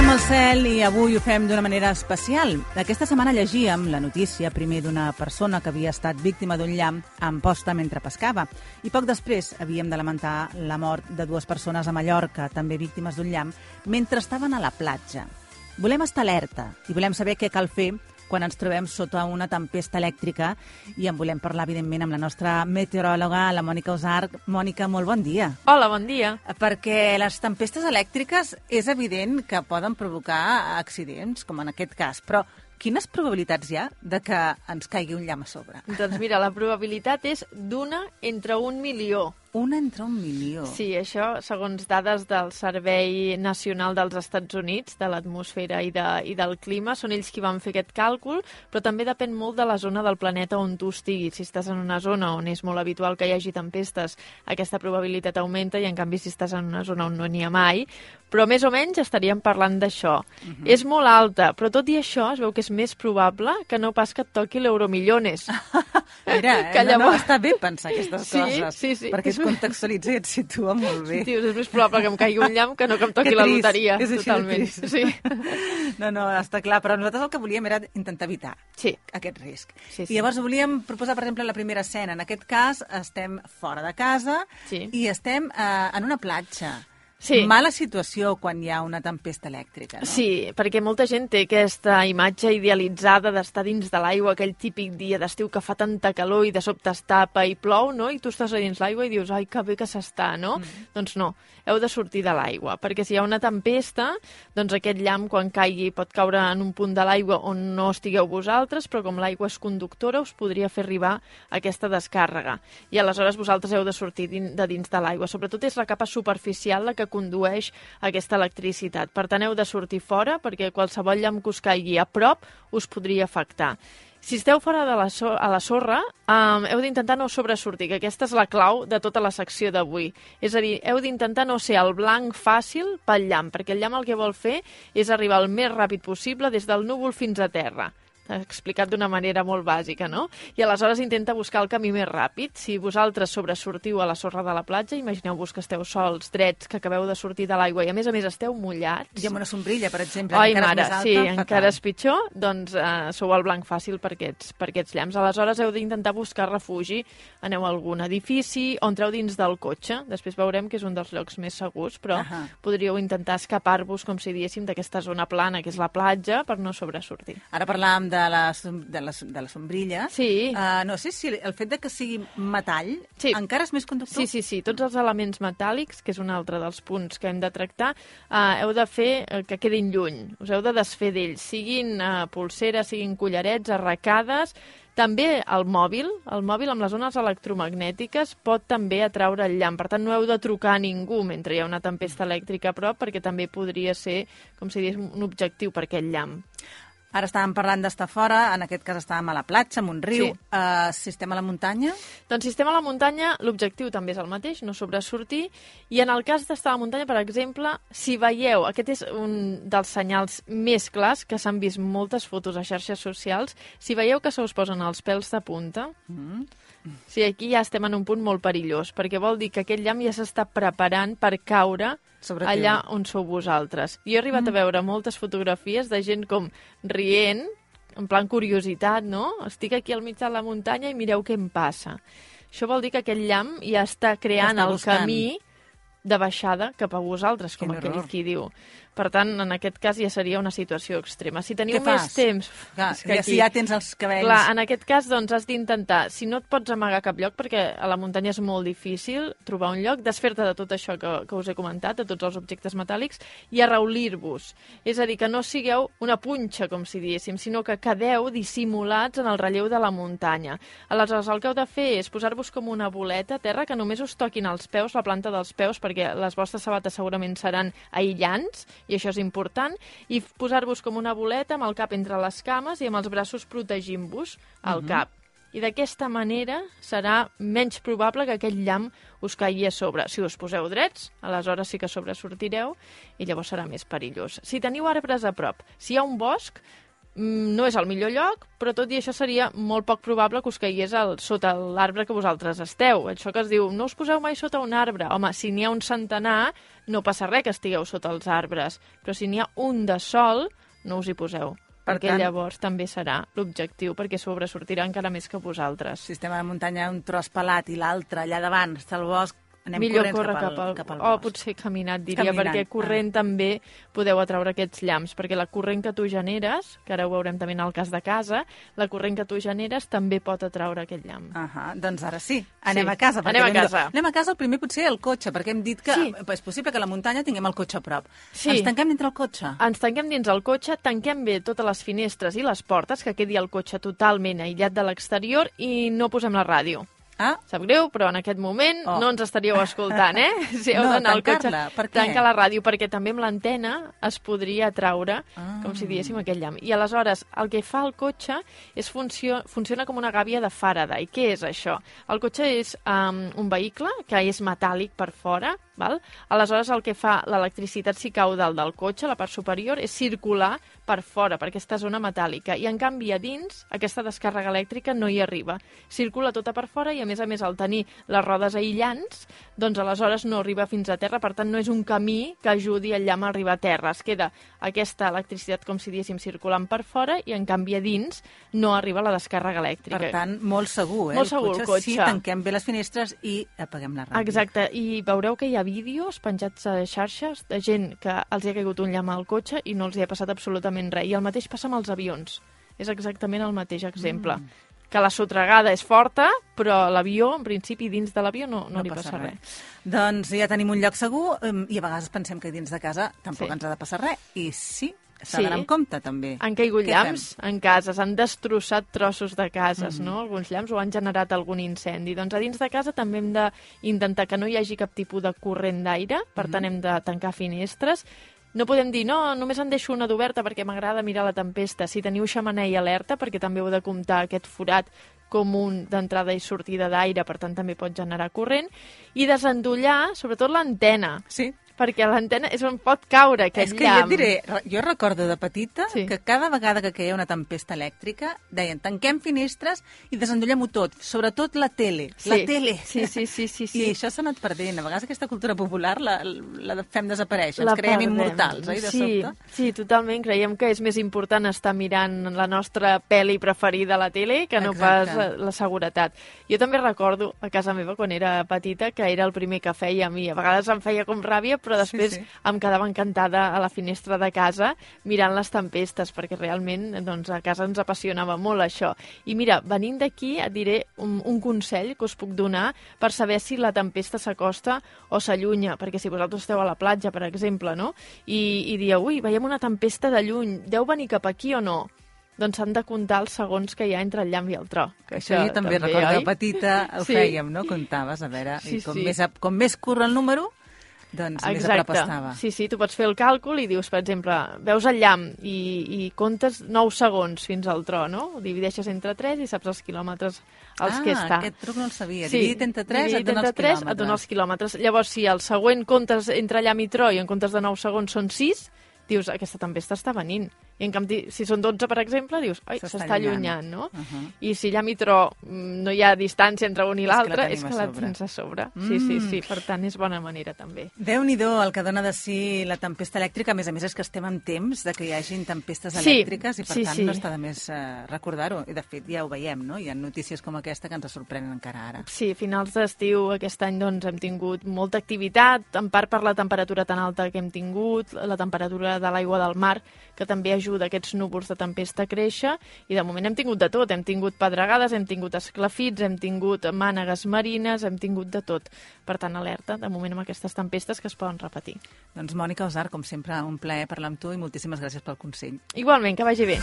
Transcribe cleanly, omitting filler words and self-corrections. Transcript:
Mirem el cel i avui ho fem d'una manera especial. Aquesta setmana llegíem la notícia primer d'una persona que havia estat víctima d'un llamp a Amposta mentre pescava i poc després havíem de lamentar la mort de 2 persones a Mallorca, també víctimes d'un llamp, mentre estaven a la platja. Volem estar alerta i volem saber què cal fer quan ens trobem sota una tempesta elèctrica i en volem parlar, evidentment, amb la nostra meteoròloga, la Mònica Usart. Mònica, molt bon dia. Hola, bon dia. Perquè les tempestes elèctriques és evident que poden provocar accidents, com en aquest cas, però quines probabilitats hi ha de que ens caigui un llamp a sobre? Doncs mira, la probabilitat és d'una entre 1 milió. Una entre 1 milió. Sí, això segons dades del Servei Nacional dels Estats Units, de l'atmosfera i del clima. Són ells qui van fer aquest càlcul, però també depèn molt de la zona del planeta on tu estiguis. Si estàs en una zona on és molt habitual que hi hagi tempestes, aquesta probabilitat augmenta, i en canvi si estàs en una zona on no n'hi ha mai, però més o menys estaríem parlant d'això. És molt alta, però tot i això es veu que és més probable que no pas que et toqui l'Euromillones. Mira, que llavors... està bé pensar aquestes coses, sí. perquè es contextualitza i et situa molt bé. Sí, és més probable que em caigui un llamp que no que em toqui la loteria. És així totalment. Sí. No, està clar, però nosaltres el que volíem era intentar evitar aquest risc. Sí. I llavors volíem proposar, per exemple, la primera escena. En aquest cas, estem fora de casa i estem en una platja. Sí. Mala situació quan hi ha una tempesta elèctrica, no? Sí, perquè molta gent té aquesta imatge idealitzada d'estar dins de l'aigua, aquell típic dia d'estiu que fa tanta calor i de sobte es tapa i plou, no? I tu estàs a dins l'aigua i dius, ai, que bé que s'està, no? Doncs no, heu de sortir de l'aigua, perquè si hi ha una tempesta, doncs aquest llamp, quan caigui, pot caure en un punt de l'aigua on no estigueu vosaltres, però com l'aigua és conductora, us podria fer arribar aquesta descàrrega. I aleshores vosaltres heu de sortir de dins de l'aigua. Sobretot és la capa superficial la que condueix aquesta electricitat. Per tant, heu de sortir fora, perquè qualsevol llamp que us caigui a prop us podria afectar. Si esteu fora de a la sorra, heu d'intentar no sobresortir, que aquesta és la clau de tota la secció d'avui. És a dir, heu d'intentar no ser el blanc fàcil pel llamp, perquè el llamp el que vol fer és arribar el més ràpid possible des del núvol fins a terra. Explicat d'una manera molt bàsica, no? I aleshores intenta buscar el camí més ràpid. Si vosaltres sobresortiu a la sorra de la platja, imagineu-vos que esteu sols, drets, que acabeu de sortir de l'aigua i a més esteu mullats. I amb una sombrilla, per exemple, ai, encara mare, és més alta. Sí, encara és pitjor, doncs sou el blanc fàcil per aquests llamps. Aleshores heu d'intentar buscar refugi. Aneu a algun edifici o entreu dins del cotxe. Després veurem que és un dels llocs més segurs, però podríeu intentar escapar-vos, com si diéssim, d'aquesta zona plana, que és la platja, per no sobresortir. Ara parlàvem de la sombrilla. Sí. No sé si el fet de que sigui metall encara és més conductor. Sí. Tots els elements metàl·lics, que és un altre dels punts que hem de tractar, heu de fer que quedin lluny. Us heu de desfer d'ells, siguin polseres, siguin collarets, arracades. També el mòbil amb les ones electromagnètiques pot també atraure el llamp. Per tant, no heu de trucar a ningú mentre hi ha una tempesta elèctrica a prop, perquè també podria ser, com si digués, un objectiu per aquest llamp. Ara estàvem parlant d'estar fora, en aquest cas estàvem a la platja, en un riu. Si estem a la muntanya? Doncs si estem a la muntanya, l'objectiu també és el mateix, no sobresortir. I en el cas d'estar a la muntanya, per exemple, si veieu, aquest és un dels senyals més clars, que s'han vist moltes fotos a xarxes socials, si veieu que se us posen els pèls de punta, sí, aquí ja estem en un punt molt perillós, perquè vol dir que aquest llamp ja s'està preparant per caure allà on sou vosaltres. Jo he arribat a veure moltes fotografies de gent com rient, en plan curiositat, no? Estic aquí al mig de la muntanya i mireu què em passa. Això vol dir que aquest llamp ja està creant el camí de baixada cap a vosaltres, com aquell qui diu. Per tant, en aquest cas ja seria una situació extrema. Si teniu més temps... Si ja tens els cabells... Clar, en aquest cas, doncs, has d'intentar, si no et pots amagar a cap lloc, perquè a la muntanya és molt difícil trobar un lloc, desfer-te de tot això que us he comentat, de tots els objectes metàl·lics, i arraulir-vos. És a dir, que no sigueu una punxa, com si diéssim, sinó que quedeu dissimulats en el relleu de la muntanya. Aleshores, el que heu de fer és posar-vos com una boleta a terra, que només us toquin els peus, la planta dels peus, perquè les vostres sabates segurament seran aïllants, i això és important, i posar-vos com una boleta amb el cap entre les cames i amb els braços protegint-vos el cap. I d'aquesta manera serà menys probable que aquest llamp us caigui a sobre. Si us poseu drets, aleshores sí que sobresortireu i llavors serà més perillós. Si teniu arbres a prop, si hi ha un bosc, no és el millor lloc, però tot i això seria molt poc probable que us caigués sota l'arbre que vosaltres esteu. Això que es diu, no us poseu mai sota un arbre. Home, si n'hi ha un centenar, no passa res que estigueu sota els arbres, però si n'hi ha un de sol, no us hi poseu. Perquè llavors també serà l'objectiu, perquè sobresortirà encara més que vosaltres. Si estem a la muntanya, un tros pelat i l'altre allà davant està el bosc, anem millor corrents córrer cap al o bosc. potser caminat, diria, perquè corrent també podeu atraure aquests llamps, perquè la corrent que tu generes, que ara ho veurem també en el cas de casa, la corrent que tu generes també pot atraure aquest llamp. Doncs ara sí, anem a casa. Anem a casa. Anem a casa, el primer potser el cotxe, perquè hem dit que és possible que a la muntanya tinguem el cotxe a prop. Ens tanquem dintre el cotxe? Ens tanquem dins el cotxe, tanquem bé totes les finestres i les portes, que quedi el cotxe totalment aïllat de l'exterior i no posem la ràdio. Sap greu, però en aquest moment no ens estaríeu escoltant, Si heu d'anar al cotxe, tanca la ràdio, perquè també amb l'antena es podria atraure, com si diéssim, aquest llamp. I aleshores, el que fa el cotxe és funciona com una gàbia de Faraday. Què és això? El cotxe és un vehicle que és metàl·lic per fora, val? Aleshores, el que fa l'electricitat si cau dalt del cotxe, la part superior, és circular per fora, per aquesta zona metàl·lica. I, en canvi, a dins, aquesta descàrrega elèctrica no hi arriba. Circula tota per fora i, a més, al tenir les rodes aïllants, doncs aleshores no arriba fins a terra, per tant no és un camí que ajudi el llamp a arribar a terra. Es queda aquesta electricitat, com si diguéssim, circulant per fora i en canvi a dins no arriba la descàrrega elèctrica. Per tant, molt segur, Molt segur el cotxe. Sí, tanquem bé les finestres i apaguem la ràdio. Exacte, i veureu que hi ha vídeos penjats a xarxes de gent que els hi ha caigut un llamp al cotxe i no els hi ha passat absolutament res. I el mateix passa amb els avions. És exactament el mateix exemple. Que la sotragada és forta, però l'avió, en principi, dins de l'avió no li passa res. Doncs ja tenim un lloc segur i a vegades pensem que dins de casa tampoc ens ha de passar res. I sí, s'ha d'anar amb compte, també. Han caigut llamps en cases, han destrossat trossos de cases, no? Alguns llamps, o han generat algun incendi. Doncs a dins de casa també hem d'intentar que no hi hagi cap tipus de corrent d'aire, per tant hem de tancar finestres. No podem dir, no, només en deixo una d'oberta perquè m'agrada mirar la tempesta. Si teniu xemeneia alerta, perquè també heu de comptar aquest forat com un d'entrada i sortida d'aire, per tant també pot generar corrent, i desendollar, sobretot l'antena. Sí. Perquè l'antena és on pot caure aquest llamp. És que ja et diré, jo recordo de petita que cada vegada que queia una tempesta elèctrica deien tanquem finestres i desendollem-ho tot, sobretot la tele. La tele. Sí. I això s'ha anat perdent. A vegades aquesta cultura popular la fem desaparèixer. Ens creiem immortals, oi, de sobte? Sí, totalment. Creiem que és més important estar mirant la nostra pel·li preferida a la tele que no pas la seguretat. Jo també recordo a casa meva, quan era petita, que era el primer que fèiem i a vegades em feia com ràbia, però després em quedava encantada a la finestra de casa mirant les tempestes, perquè realment doncs, a casa ens apassionava molt això. I mira, venint d'aquí et diré un consell que us puc donar per saber si la tempesta s'acosta o s'allunya, perquè si vosaltres esteu a la platja, per exemple, no? I dieu, ui, veiem una tempesta de lluny, deu venir cap aquí o no? Doncs s'han de comptar els segons que hi ha entre el llamp i el tro. Això jo també recordo de petita, ho fèiem, no? Comptaves, a veure, com més curt el número, doncs més a prop estava. Sí, tu pots fer el càlcul i dius, per exemple, veus el llamp i comptes 9 segons fins al tro, no? Ho divideixes entre 3 i saps els quilòmetres als que està. Aquest truc no el sabia. Dividit entre 3 et dona els quilòmetres. Llavors, si el següent comptes entre llamp i tro i en comptes de 9 segons són 6, dius, aquesta tempesta està venint. I en canvi, si són 12, per exemple, dius, oi, s'està allunyant, no? I si llamp i tro no hi ha distància entre un i l'altre, és que la tens a sobre. Sí, per tant, és bona manera, també. Déu-n'hi-do el que dona de si la tempesta elèctrica. A més, és que estem en temps de que hi hagin tempestes elèctriques i, per tant, no està de més recordar-ho. I, de fet, ja ho veiem, no? Hi ha notícies com aquesta que ens sorprenen encara ara. Sí, a finals d'estiu aquest any doncs, hem tingut molta activitat, en part per la temperatura tan alta que hem tingut, la temperatura de l'aigua del mar, que també ajuda aquests núvols de tempesta a créixer, i de moment hem tingut de tot. Hem tingut pedregades, hem tingut esclafits, hem tingut mànegues marines, hem tingut de tot. Per tant, alerta, de moment, amb aquestes tempestes que es poden repetir. Doncs, Mònica Osar, com sempre, un plaer parlar amb tu i moltíssimes gràcies pel consell. Igualment, que vagi bé.